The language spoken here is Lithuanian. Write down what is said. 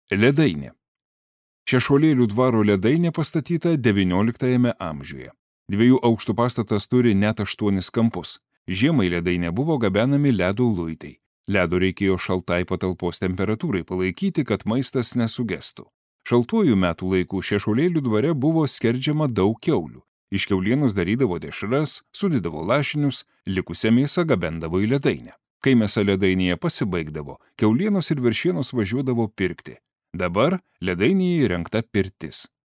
Ledainė. Šešuolėlių dvaro ledainė pastatyta XIX amžiuje. 2 aukštų pastatas turi net 8 kampus. Žiemai ledainė buvo gabenami ledo luitai. Ledo reikėjo šaltai patalpos temperatūrai palaikyti, kad maistas nesugestų. Šaltuoju metų laikų Šešuolėlių dvare buvo skerdžiama daug kiaulių. Iš kiaulienos darydavo dešras, sudėdavo lašinius, likusią mėsą gabendavo į ledainę. Kai mėsa ledainėje pasibaigdavo, kiaulienos ir veršienos važiuodavo pirkti. Dabar ledainėje įrengta pirtis.